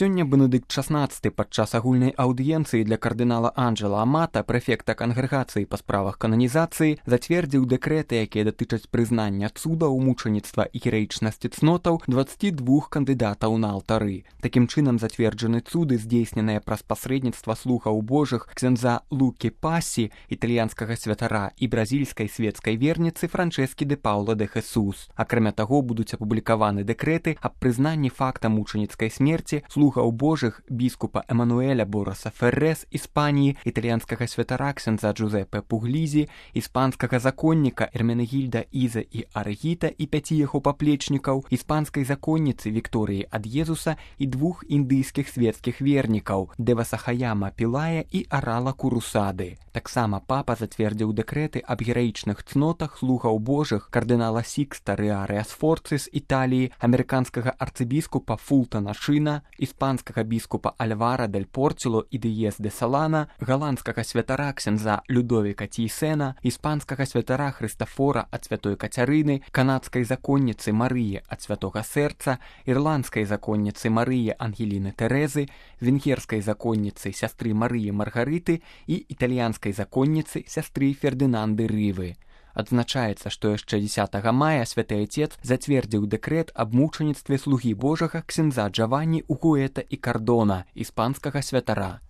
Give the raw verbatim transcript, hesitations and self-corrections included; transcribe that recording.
Сёння Бенедыкт шаснаццаты падчас агульнай аўдыенцыі для кардынала Анджела Амата, прэфекта кангрэгацыі па справах кананізацыі, зацвердзіў дэкрэты, якія датычаць прызнання цудаў, мучаніцтва і гераічнасці цнотаў дваццаці двух кандыдатаў на алтары. Такім чынам зацверджаны цуды, здзейсненыя праз пасрэдніцтва слугаў божых ксяндза Лукі Пасі, італьянскага святара, і бразільскай свецкай верніцы Франчэскі де Паўла де Хесус. Акрамя таго, будуць апублікаваны дэкрэты аб прызнанні факта мучаніцкай смерці слугаў божых біскупа Эмануэля Бораса Ферре з Іспаніі, італьянскага святара ксяндза Джузепе Пуглізі, іспанскага законніка Эрменегільда Іза і Аргіта і пяці яго паплечнікаў, іспанскай законніцы Вікторыі Ад'езуса і двух індыйскіх свецкіх вернікаў Девасахаяма Пілая і Арала Курусады. Таксама папа зацвердзіў дэкрэты аб гераічных цнотах слугаў божых кардынала Сікста Рэарэ Сфорцы з Італіі, амерыканскага арцыбіскупа Фултана Шына, іспанскага біскупа Альвара дель Порціло і Діез де Салана, галандскага святара ксяндза Людовіка Тійсена, іспанскага святара Хрыстафора ад святой Кацярыны, канадскай законніцы Марыі ад святога Сэрца, ірландскай законніцы Марыі Ангеліны Тэрэзы, венгерскай законніцы сястры Марыі Маргарыты і італьянскай законніцы сястры Фердынанды Рывы. Адзначаецца, што яшчэ дзесятага мая святы Айцец зацвердзіў дэкрэт аб мучаніцтве слугі божага ксяндза Джаванні Угуэта і Кардона, іспанскага святара.